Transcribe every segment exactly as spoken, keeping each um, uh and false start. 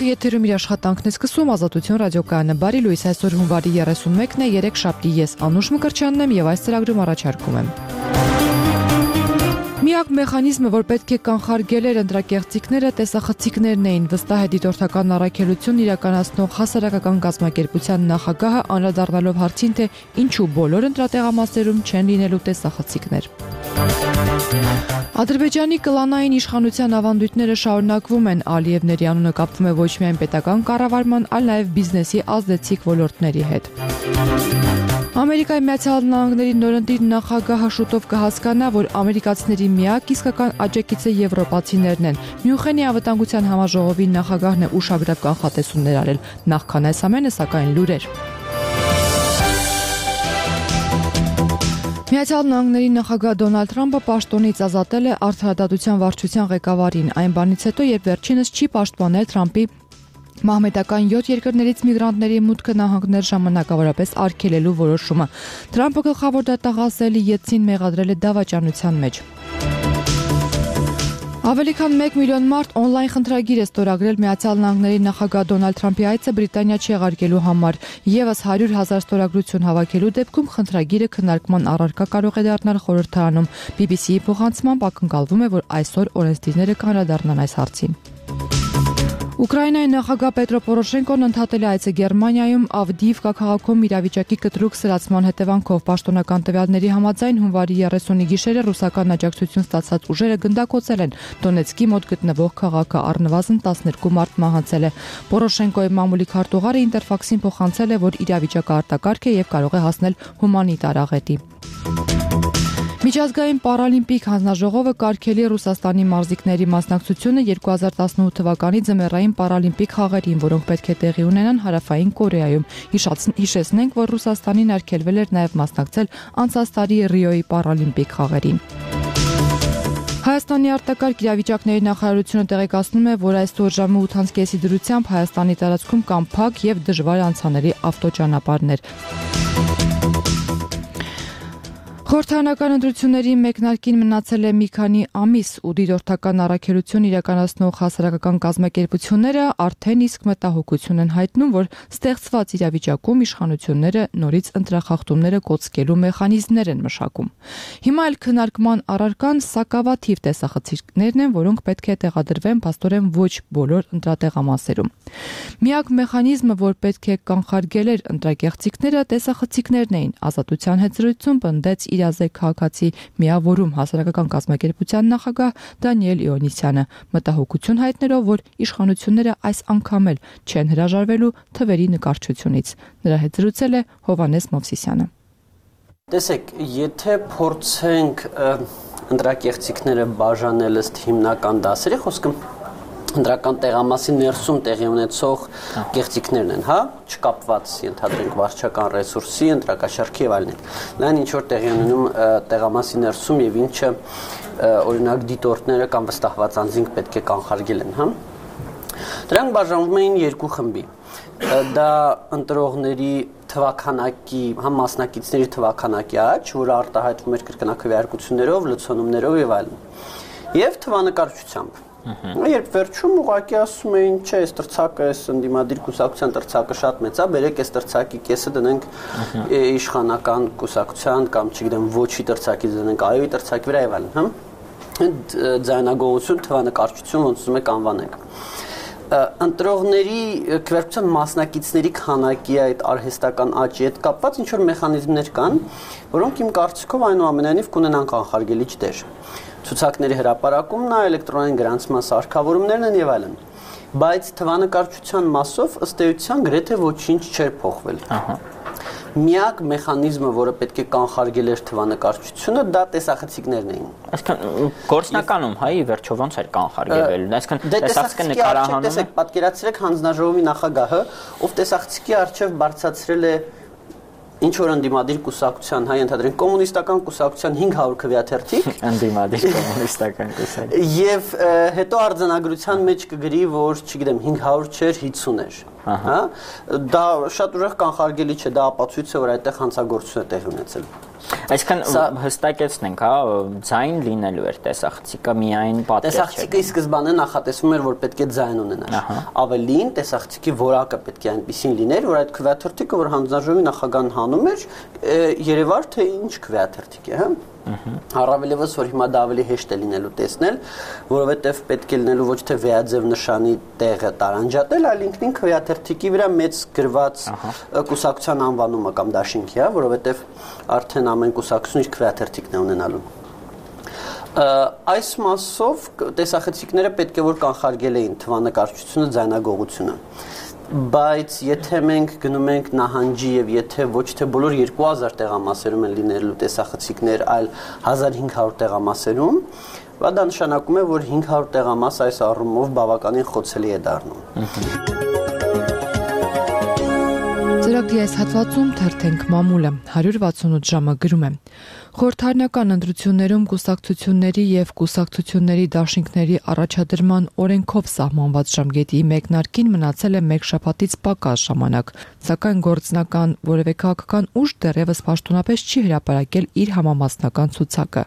Եթերում իր աշխատանքն է սկսում Ազատություն ռադիոկայանը։ Բարի լույս, այսօր հունվարի երեսունմեկն է, երեքշաբթի, ես Անուշ Մկրտչյանն եմ եւ այս ծրագրում առաջարկում եմ։ Միակ մեխանիզմը, որ պետք է կանխարգել էր ընտրակեղծիքները, տեսախցիկներն էին, վստահ է դիտորդական առաքելություն իրականացնող հասարակական կազմակերպության նախագահը, անդրադառնալով հարցին, թե ինչու բոլոր ընտրատեղամասերում չեն լինելու տեսախցիկներ։ Ադրբեջանի կլանային իշխանության ավանդույթները շարունակվում են, Ալիևների անունը կապվում է ոչ միայն պետական կառավարման, այլ նաև բիզնեսի ազդեցիկ ոլորտների հետ։ Ամերիկայի Միացյալ Նահանգների նորընտիր նախագահը շուտով կհասկանա, որ ամերիկացիների միակ իսկական աջակիցը եվրոպացիներն են։ Մյունխենի անվտանգության համաժողովի նախագահն է ուշագրավ կանխատեսումներ արել, նախքան այս ամենը, սակայն լուրեր։ Միացյալ Նահանգների նախագահ Դոնալդ Թրամփը պաշտոնից ազատել է Արդարադատության վարչության ղեկավարին, այն բանից հետո, երբ վերջինս չի պաշտպանել Թրամփի մահմեդական յոթ երկրներից միգրանտների մուտքը նահանգներ ժամանակավորապես արգելելու որոշումը։ Թրամփը գլխավոր դատախազ Ելցին մեղադրել է դավաճանության մեջ։ Ավելի քան մեկ միլիոն մարդ օնլայն խնդրագիր է ստորագրել Միացյալ Նահանգների նախագահ Դոնալդ Թրամփի այցը Բրիտանիա չեղարկելու համար։ Եվս հարյուր հազար ստորագրություն հավաքելու դեպքում խնդրագիրը քննարկման առարկա կարող է դառնալ խորհրդարանում։ բի բի սի-ի փոխանցմամբ ակնկալվում է, որ այսօր օրենսդիրները կանդրադառնան այս հարցին։ Ուկրաինայի նախագահ Պետրո Պորոշենկոն ընդհատել է այցը Գերմանիայում Ավդիիվկա քաղաքում իրավիճակի կտրուկ սրացման հետևանքով պաշտոնական տվյալների համաձայն հունվարի երեսունի գիշերը ռուսական աջակցություն ստացած ուժերը գնդակոծել են Դոնեցկի մոտ գտնվող քաղաքը, առնվազն տասներկու մարդ մահացել է։ Պորոշենկոյի մամուլի քարտուղարը Ինտերֆաքսին փոխանցել է, որ իրավիճակը արտակարգ է եւ կարող է հասնել հումանիտար աղետի։ Միջազգային պարալիմպիկ հանձնաժողովը կարգելի Ռուսաստանի մարզիկների մասնակցությունը երկու հազար տասնութ թվականի ձմեռային պարալիմպիկ խաղերին, որոնք պետք է տեղի ունենան Հարավային Կորեայում։ Հիշեցնենք, որ Ռուսաստանին արգելվել էր նաև մասնակցել անցած տարի Ռիոյի պարալիմպիկ խաղերին։ Հայաստանի արտակարգ իրավիճակների նախարարությունը տեղեկացնում է, որ այսօր ժամը ութ կեսի դրությամբ Հայաստանի տարածքում կան փակ եւ դժվար անցանելի ավտոճանապարհներ։ Խորհրդարանական ընտրությունների մեկնարկին մնացել է մի քանի ամիս ու դիտորդական առաքելություն իրականացնող հասարակական կազմակերպությունները արդեն իսկ մտահոգություն են հայտնում, որ ստեղծված իրավիճակում իշխանությունները նորից ընտրախախտումները կոծկելու մեխանիզմներ են մշակում։ Հիմա էլ քննարկման առարկան սակավաթիվ տեսախցիկներն են, որոնք պետք է տեղադրվեն փաստորեն ոչ բոլոր ընտրատեղամասերում։ Միակ մեխանիզմը, որ պետք է կանխարգել էր ընտրակեղծիքները, տեսախցիկներն էին, Ազատության հետ զրույցում պնդեց Իրազեկ քաղաքացի միավորում հասարակական կազմակերպության նախագահ Դանիել Իոնիսյանը, մտահոգություն հայտնելով, որ իշխանությունները այս անգամ էլ չեն հրաժարվելու թվերի նկարչությունից։ Նրա հետ զրուցել է Հովհաննես Մովսիսյանը։ Տեսեք, եթե փորձենք ընտրակեղծիքները բաժանել ըստ հիմնական դասերի, խոսքը ընտրական տեղամասի ներսում տեղի ունեցող կեղծիքներն են, հա, չկապված ենթադրենք վարչական ռեսուրսի, ընտրակաշարքի եւ այլն։ Լայն ինչ որ տեղի ունենում տեղամասի ներսում եւ ինչը օրինակ դիտորդները կամ վստահված անձինք պետք է կանխարգել են, հա։ Դրանք բաժանվում էին երկու խմբի։ Դա ընտրողների թվականակի, համ մասնակիցների թվականակի աճ, որը արտահայտվում էր կրկնակքվեարկություններով, լցոնումներով եւ այլն։ Եվ թվանկարչությամբ։ Երբ վերջում ուղղակի ասում էին, չէ, այս տրցակը, այս ընդդիմադիր կուսակցության տրցակը շատ մեծ է, բերեք այս տրցակի կեսը դնենք իշխանական կուսակցության կամ չգիտեմ ոչի տրցակի դնենք այոյի տրցակի վրա եւ այլն, հա։ Ձայնագողություն, թվանկարչություն ոնց ուզում եք անվանենք։ Ընտրողների քվեարկության մասնակիցների քանակի այդ արհեստական աճի հետ կապված ինչ որ մեխանիզմներ կան, որոնք իմ կարծիքով այնուամենայնիվ կունենան կանխարգելիչ դեր։ Ցուցակների հրապարակումն է, էլեկտրոնային գրանցման սարքավորումներն են եւ այլն։ Բայց թվանկարչության մասով ըստ էության գրեթե ոչինչ չէր փոխվել։ Ահա։ Միակ մեխանիզմը, որը պետք է կանխարգել էր թվանկարչությունը, դա տեսախցիկներն էին։ Այսինքն գործնականում հայի վերջով ոնց էր կանխարգելվել։ Այսինքն տեսախցիկը նկարահանում է։ Տեսեք, պատկերացրեք հանձնաժողովի նախագահը, ով տեսախցիկի առջև բարձրացրել է ինչ որ ընդդիմադիր կուսակցության, հայ ընդհանրեն կոմունիստական կուսակցության հինգ հարյուր քվեաթերթիկ, ընդդիմադիր կոմունիստական կուսակցություն։ Եվ հետո արձանագրության մեջ կգրի, որ, չգիտեմ, հինգ հարյուր չէր, հիսուն էր։ Հա, դա շատ ուժեղ կանխարգելի չէ, դա ապացույց է, որ այդտեղ հանցագործություն է տեղի ունեցել։ Այսինքն հստակեցնենք, հա, ձայն լինելու էր տեսախցիկը միայն պատկեր չէ։ Տեսախցիկը ի սկզբանե նախատեսվում էր, որ պետք է ձայն ունենար։ Ավելին տեսախցիկի որակը պետք է այնպեսին լիներ, որ այդ քվեաթերթիկը, որ հանձնաժողովի նախագահն հանում էր, երևար թե ինչ քվեաթերթիկ է, հա։ Առավելևս որ հիմա դա ավելի հեշտ է լինելու տեսնել, որովհետև պետք է լինելու ոչ թե վեաձև նշանի տեղը տարանջատել, այլ ինքնին քվեաթերթիկի վրա մեծ գրված կուսակցության անվանումը կամ դաշինքի, հա, որովհետև արդեն ամեն կուսակցություն իր քվեաթերթիկն է ունենալու։ Այս մասով տեսախցիկները պետք է որ կանխարգել էին թվանկարչությունը, ձայնագողությունը։ Բայց եթե մենք գնում ենք նահանջի եւ եթե ոչ թե բոլոր երկու հազար տեղամասերում են լինելու տեսախցիկներ, այլ հազար հինգ հարյուր տեղամասերում, դա նշանակում է, որ հինգ հարյուր տեղամաս այս առումով բավականին խոցելի է դառնում։ Ծրագրի այս հատվածում թերթենք մամուլը հարյուր վաթսունութ ժամը գրում է. Խորհրդարանական ընտրություններում կուսակցությունների եւ կուսակցությունների դաշինքների առաջադրման օրենքով սահմանված ժամկետի մեկնարկին մնացել է մեկ շաբաթից պակաս ժամանակ, սակայն գործնական որևէ քաղաքական ուժ դեռևս պաշտոնապես չի հրապարակել իր համամասնական ցուցակը։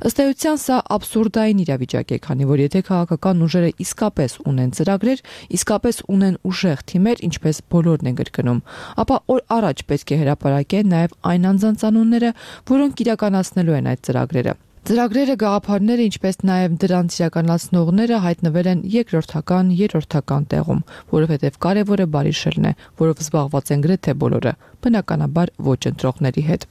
Ըստ էության սա աբսուրդային իրավիճակ է, քանի որ եթե քաղաքական ուժերը իսկապես ունեն ծրագրեր, իսկապես ունեն ուժեղ թիմեր, ինչպես բոլորն են կրկնում, ապա օր առաջ պետք է հրապարակեն նաև այն անձանց անունները, որոնք իրականացնելու են այդ ծրագրերը։ Ծրագրերը, գաղափարները, ինչպես նաև դրանց իրականացնողները հայտնվել են երկրորդական, երրորդական տեղում, որովհետև կարևորը բարիշելն է, որով զբաղված են գրեթե բոլորը, բնականաբար ոչ ընտրողների հետ։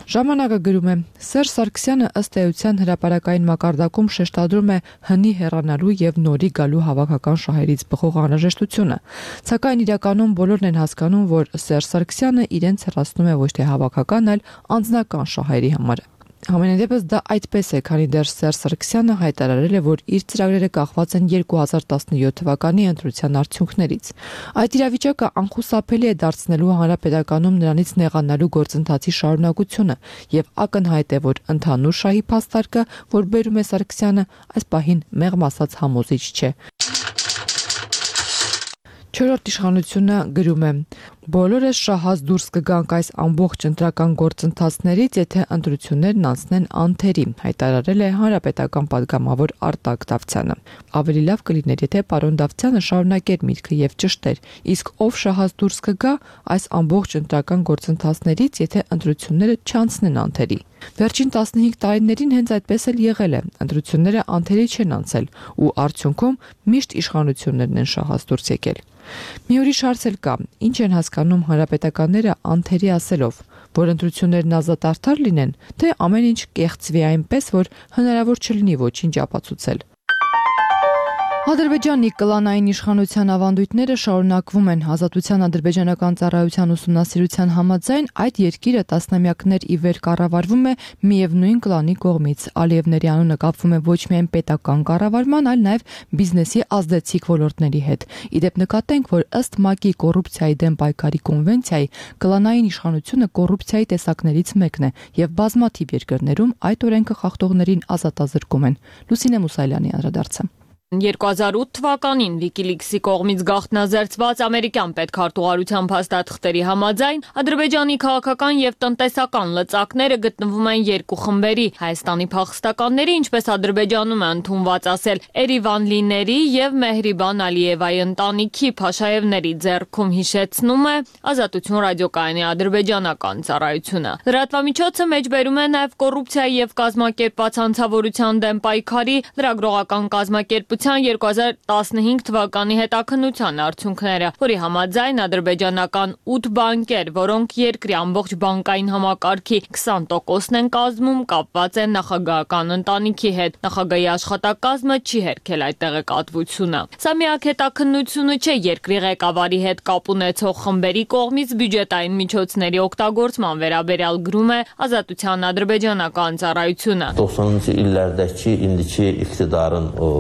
Ժամանակը գրում է. Սերժ Սարգսյանը ըստ էության հրապարակային մակարդակում շեշտադրում է հնի հեռանալու եւ նորի գալու հավաքական շահերից բխող անհրաժեշտությունը, սակայն իրականում բոլորն են հասկանում, որ Սերժ Սարգսյանը իրենց հեռացնում է ոչ թե հավաքական, այլ անձնական շահերի համար։ Համենայնդեպս դա այդպես է, քանի դեռ Սերժ Սարգսյանը հայտարարել է, որ իր ծրագրերը կախված են երկու հազար տասնյոթ թվականի ընտրության արդյունքներից։ Այդ իրավիճակը անխուսափելի է դարձնելու հանրապետականում նրանից նեղանալու գործընթացի շարունակությունը եւ ակնհայտ է, որ ընդհանուր շահի փաստարկը, որ բերում է Սարգսյանը, այս պահին մեղմ ասած համոզիչ չէ։ Չորրորդ իշխանությունը գրում է. Բոլորս շահած դուրս կգանք այս ամբողջ ընտրական գործընթացներից, եթե ընտրություններն անցնեն անթերի, հայտարարել է հանրապետական падգամավոր Արտակ Դավթյանը։ Ավելի լավ կլիներ, եթե պարոն Դավթյանը շարունակեր միտքը եւ ճշտեր, իսկ ով շահած դուրս կգա այս ամբողջ ընտրական գործընթացներից, եթե ընտրությունները չանցնեն անթերի։ Վերջին տասնհինգ տարիներին հենց այդպես էլ եղել է։ Ընտրությունները անթերի չեն անցել ու արդյունքում միշտ իշխանություններն են շահած դուրս եկել։ Մի ուրիշ հարց էլ կա. ինչ են հասկանում հանրապետականները անթերի ասելով, որ ընտրություններն ազատ արդար լինեն, թե ամեն ինչ կեղծվի այնպես, որ հնարավոր չլինի ոչինչ ապացուցել։ Ադրբեջանի կլանային իշխանության ավանդույթները շարունակվում են։ Ազատության ադրբեջանական ծառայության ուսումնասիրության համաձայն այդ երկիրը տասնամյակներ ի վեր կառավարվում է միևնույն կլանի կողմից։ Ալիևների անունը կապվում է ոչ միայն պետական կառավարման, այլ նաև բիզնեսի ազդեցիկ ոլորտների հետ։ Իդեպ նկատենք, որ ըստ ՄԱԿ-ի կոռուպցիայի դեմ պայքարի կոնվենցիայի կլանային իշխանությունը կոռուպցիայի տեսակներից մեկն է եւ բազմաթիվ երկրներում այդ օրենքը խախտողներին ազատազրկում են։ Լուսինե Մուսայելյանի անդրադարձը։ երկու հազար ութ թվականին Wikileaks-ի կողմից գաղտնազերծված ամերիկյան պետքարտուղարության փաստաթղթերի համաձայն Ադրբեջանի քաղաքական եւ տնտեսական լծակները գտնվում են երկու խմբերի՝ Հայաստանի փախստականների, ինչպես Ադրբեջանում է ընդունված ասել, Էրիվանլիների եւ Մեհրիբան Ալիևայի ընտանիքի Փաշաևների ձեռքում, հիշեցնում է Ազատություն ռադիոկայանի ադրբեջանական ծառայությունը։ Լրատվամիջոցը մեջբերում է նաեւ կոռուպցիայի եւ կազմակերպված հանցավորության դեմ պայքարի լրագրողական կազմակերպ երկու հազար տասնհինգ թվականի հետաքննության արդյունքները, որի համաձայն ադրբեջանական ութ բանկեր, որոնք երկրի ամբողջ բանկային համակարգի քսան տոկոսն են կազմում, կապված են նախագահական ընտանիքի հետ։ Նախագահի աշխատակազմը չի հերքել այդ տեղեկատվությունը։ Սա միակ հետաքննությունը չէ երկրի ղեկավարի հետ կապ ունեցող խմբերի կողմից բյուջետային միջոցների օգտագործման վերաբերյալ, գրում է Ազատության ադրբեջանական ծառայությունը։ տասնինci illərdəki indiki iqtidarın o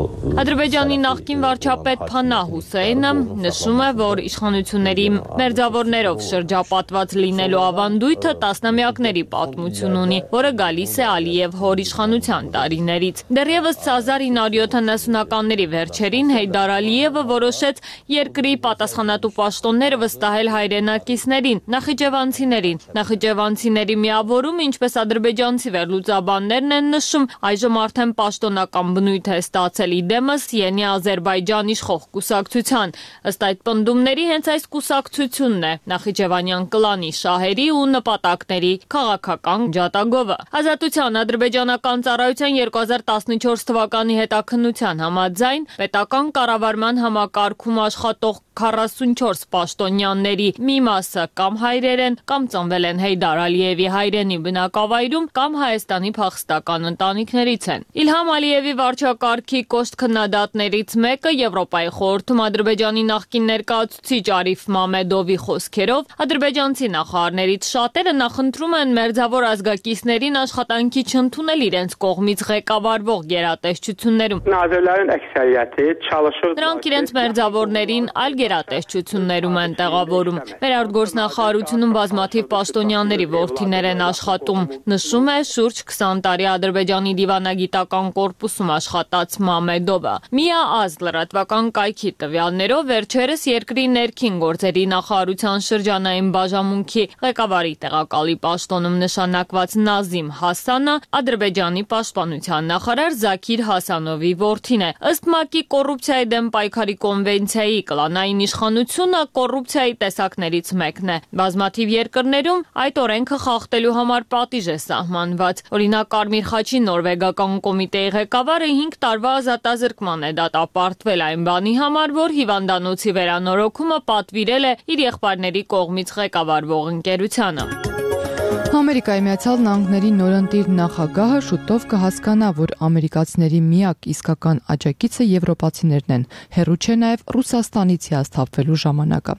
Ադրբեջանի նախկին վարչապետ Փանահ Հուսեյնը նշում է, որ իշխանությունների մերձավորներով շրջապատված լինելու ավանդույթը տասնամյակների պատմություն ունի, որը գալիս է Ալիև հոր իշխանության տարիներից։ Դեռևս հազար ինը հարյուր յոթանասունականների վերջերին Հեյդար Ալիևը որոշեց երկրի պատասխանատու պաշտոնները վստահել հայրենակիցներին, նախիջևանցիներին։ Նախիջևանցիների միավորում, ինչպես ադրբեջանցի վերլուծաբաններն են նշում, այժմ արդեն պաշտոնական բնույթ է ստացել իդեմս Յենի Ադրբեջան իշխող կուսակցության։ Ըստ այդ պնդումների հենց այս կուսակցությունն է Նախիջևանյան կլանի շահերի ու նպատակների քաղաքական ջատագովը։ Ազատության ադրբեջանական ծառայության երկու հազար տասնչորս թվականի հետաքննության համաձայն պետական կառավարման համակարգում աշխատող քառասունչորս պաշտոնյաների մի մասը կամ հայրեր են, կամ ծնվել են Հեյդար Ալիևի հայրենի բնակավայրում, կամ Հայաստանի փախստական ընտանիքներից են։ Իլհամ Ալիևի վարչակարգի կոշտ քննադատներից մեկը Եվրոպայի խորհրդում Ադրբեջանի նախկին ներկայացուցիչ Արիֆ Մամեդովի խոսքերով ադրբեջանցի նախարարներից շատերը նախընտրում են մերձավոր ազգակիցներին աշխատանքի չընդունել իրենց կողմից ղեկավարվող գերատեսչություններում։ Նրանք իրենց մերձավորներին այլ գերատեսչություններում են տեղավորում։ Վերարտգործնախարարությունում բազմաթիվ պաշտոնյաների որդիներ են աշխատում, նշում է շուրջ քսան տարի Ադրբեջանի դիվանագիտական կորպուսում աշխատած Մամեդովը։ Միաազ լրատվական կայքի տվյալներով վերջերս երկրի ներքին գործերի նախարարության շրջանային բաժանմունքի ղեկավարի տեղակալի պաշտոնում նշանակված Նազիմ Հասանը Ադրբեջանի պաշտպանության նախարար Զաքիր Հասանովի որդին է։ Ըստ ՄԱԿ-ի կոռուպցիայի դեմ պայքարի կոնվենցիայի կլանային իշխանությունը կոռուպցիայի տեսակներից մեկն է։ Բազմաթիվ երկրներում այդ օրենքը խախտելու համար պատիժ է սահմանված։ Օրինակ Կարմիր խաչի նորվեգական կոմիտեի ղեկավարը հինգ տարվա ազատազրկման է դատապարտվել այն բանի համար, որ հիվանդանոցի վերանորոգումը պատվիրել է իր եղբայրների կողմից ղեկավարվող ընկերությանը։ Ամերիկայի Միացյալ Նահանգների նորընտիր նախագահը շուտով կհասկանա, որ ամերիկացիների միակ իսկական աջակիցը եվրոպացիներն են, հեռու չէ նաև Ռուսաստանից հիասթափվելու ժամանակը։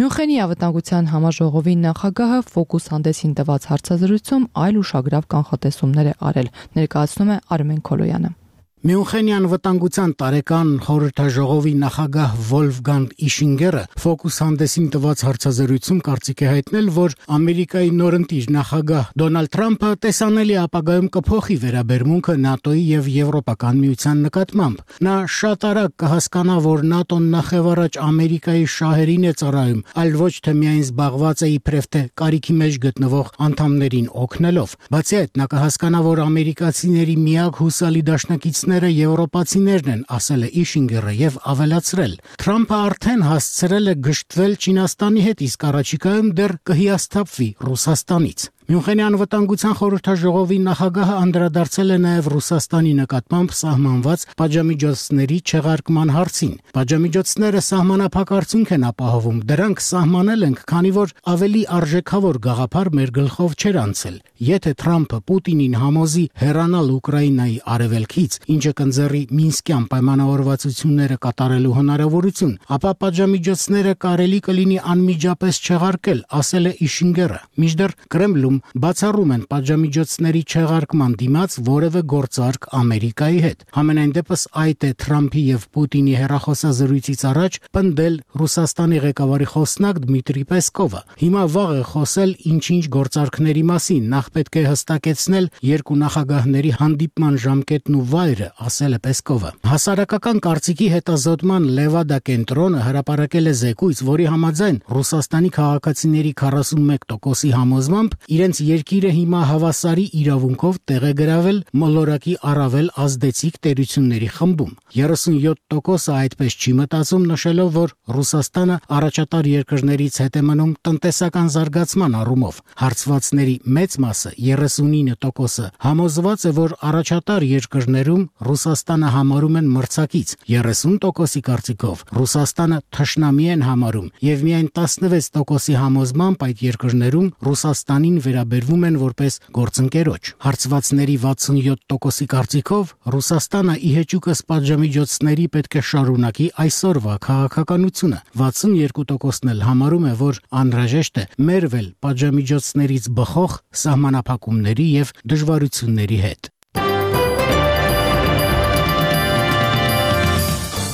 Մյունխենի անվտանգության համաժողովի նախագահը Focus հանդեսին տված հարցազրույցում այլ ուշագրավ կանխատեսումներ է արել, ներկայացնում է Արմեն Քոլոյանը։ Մյունխենի անվտանգության տարեկան խորհրդաժողովի նախագահ Վոլֆգանգ Իշինգերը Focus հանդեսին տված հարցազրույցում կարծիք է հայտնել, որ Ամերիկայի նորընտիր նախագահ Դոնալդ Թրամփը տեսանելի ապագայում կփոխի վերաբերմունքը ՆԱՏՕ-ի եւ Եվրոպական միության նկատմամբ։ Նա շատ արագ կհասկանա, որ ՆԱՏՕ-ն նախևառաջ Ամերիկայի շահերին է ծառայում, այլ ոչ թե միայն զբաղված է իբրև թե կարիքի մեջ գտնվող անդամներին օգնելով։ Բացի այդ, նա կհասկանա, որ ամերիկացիների միակ հուսալի դաշնակիցն եվրոպացիներն են, ասել է Իշինգերը եւ ավելացրել. Թրամփը արդեն հասցրել է գժտվել Չինաստանի հետ, իսկ առաջիկայում դեռ կհիասթափվի Ռուսաստանից։ Մյունխենի անվտանգության խորհրդաժողովի նախագահը անդրադարձել է նաև Ռուսաստանի նկատմամբ սահմանված պատժամիջոցների չեղարկման հարցին։ Պատժամիջոցները սահմանափակ արդյունք են ապահովում, դրանք սահմանել ենք, քանի որ ավելի արժեքավոր գաղափար մեր գլխով չէր անցել։ Եթե Թրամփը Պուտինին համոզի հեռանալ Ուկրաինայի արևելքից, ինչը կընձեռի Մինսկյան պայմանավորվածությունները կատարելու հնարավորություն, ապա պատժամիջոցները կարելի կլինի անմիջապես չեղարկել, ասել է Իշինգերը։ Մինչդեռ Կրեմլում բացառում են պատժամիջոցների չեղարկման դիմաց որևէ գործարք Ամերիկայի հետ։ Համենայն դեպս այդ է Թրամփի եւ Պուտինի հեռախոսազրույցից առաջ պնդել Ռուսաստանի ղեկավարի խոսնակ Դմիտրի Պեսկովը։ Հիմա վաղ է խոսել ինչ-ինչ գործարքների մասին, նախ պետք է հստակեցնել երկու նախագահների հանդիպման ժամկետն ու վայրը, ասել է Պեսկովը։ Հասարակական կարծիքի հետազոտման Լևադա կենտրոնը հրապարակել է զեկույց, որի համաձայն Ռուսաստանի քաղաքացիների քառասունմեկ տոկոսի համոզմամբ իրենց երկիրը հիմա հավասարի իրավունքով տեղ է գրավել մոլորակի առավել ազդեցիկ տերությունների խմբում։ երեսունյոթ տոկոսը այդպես չի մտածում, նշելով, որ Ռուսաստանը առաջատար երկրներից հետ է մնում տնտեսական զարգացման առումով։ Հարցվածների մեծ մասը երեսունինը տոկոսը համոզված է, որ առաջատար երկրներում Ռուսաստանը համարում են մրցակից, երեսուն տոկոսի կարծիքով Ռուսաստանը թշնամի են համարում եւ միայն տասնվեց տոկոսի համոզմամբ այդ երկրներում Ռուսաստանին վերաբերվում են որպես գործընկերոջ։ Հարցվածների վաթսունյոթ տոկոսի կարծիքով Ռուսաստանը ի հեճուկս պատժամիջոցների պետք է շարունակի այսօրվա քաղաքականությունը։ վաթսունյոթ տոկոսն էլ համարում է, որ անհրաժեշտ է մերվել պատժամիջոցներից բխող սահմանափակումների եւ դժվարությունների հետ։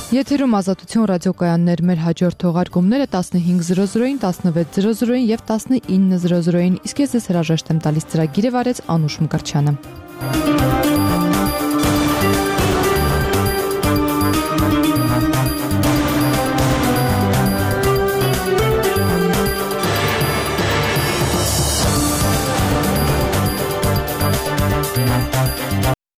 Եթերում Ազատություն ռադիոկայաններ մեր հաջորդ թողարկումները տասնհինգ զրո զրոին, տասնվեց զրո զրոին եւ տասնինը զրո զրոին, իսկ ես ձեզ հրաժեշտ եմ տալիս ծրագիրը վարեց Անուշ Մկրտչյանը։